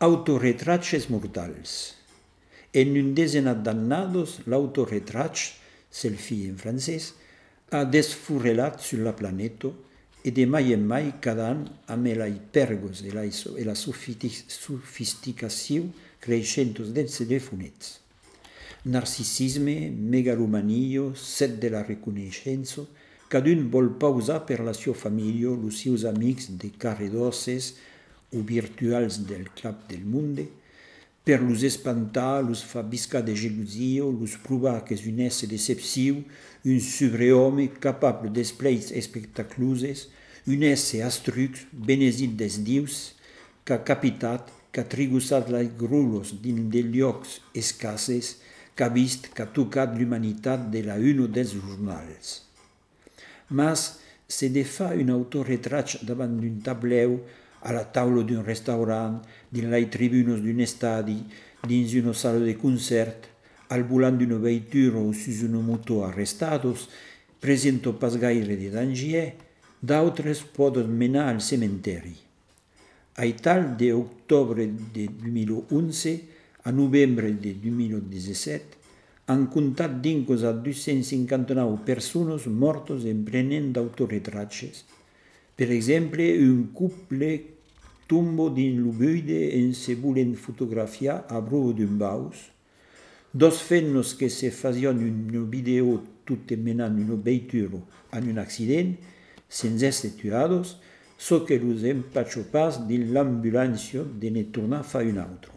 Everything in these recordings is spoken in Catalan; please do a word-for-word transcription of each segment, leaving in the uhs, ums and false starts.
Autoretraches mortals. En un desenat d'annados, l'autoretratge, selfie en francès, ha desfurrelat sur la planeto e de mai en mai cada an amb la hipergos e la, e la sofisticació creixentos dels telefonets. Narcisisme, megalomania, set de la reconeixença, cadun vol pausar per la sua família, els seus amics de carredosses o virtuals del club del monde, per los espantar, los fa viscar de gelosia, los provar que és un ésser deceptiu, un sobrehome capable d'esplais espectaculosos, un ésser astrux, benesit des dius, qu'a capitat, qu'a tribussat les grulos dins de llocs escasses, qu'a vist, qu'a tocat l'humanitat de la uno dels jornals. Mas se de fa un autoretratge davant d'un tableu, a la taula d'un restaurant, dins les tribunes d'un estadi, dins una sala de concert, al volant d'una veitura o sus una moto arrestados, presenta pas gaire de danger, d'altres poden menar al cementeri. A tal de octubre de dos mil onze a novembre de dos mil disset, han comptat dincos a dues-centes cinquanta-nou persones mortes emprenent d'autoretratges. Per exemple, un couple tomba dins lo buide en se volen fotografiar a prova d'un baus. Dos femmes que se fazion una video tutte menant una veitura en un accident, sense esser tuados, so que los empaccio pas dins l'ambulància de ne tornar fa un altre.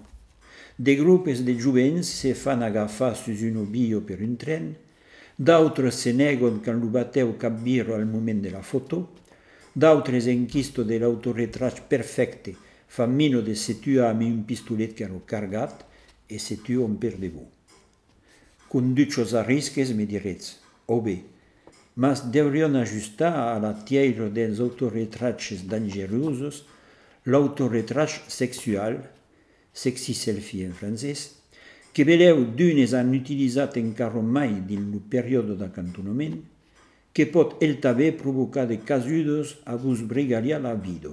De grupes de jovens se fan agafar sus un bio per un tren, d'altres se neguen quand lo bateu cap birro al moment de la foto, d'altres enquisto de l'autoretratge perfecte fan mino de se tuar amb un pistolet que hanno cargat e se tuan per debò. Conduccios a risques, me diretz, o bé, mas deurion ajustar a la tierra dels autoretratges dangerosos l'autoretratge sexual, sexy selfie en francès, que veleu d'unes han utilitzat encara mai dins lo període d'acantonament, que pot el també provocar de casudes a vos brigaria la vida.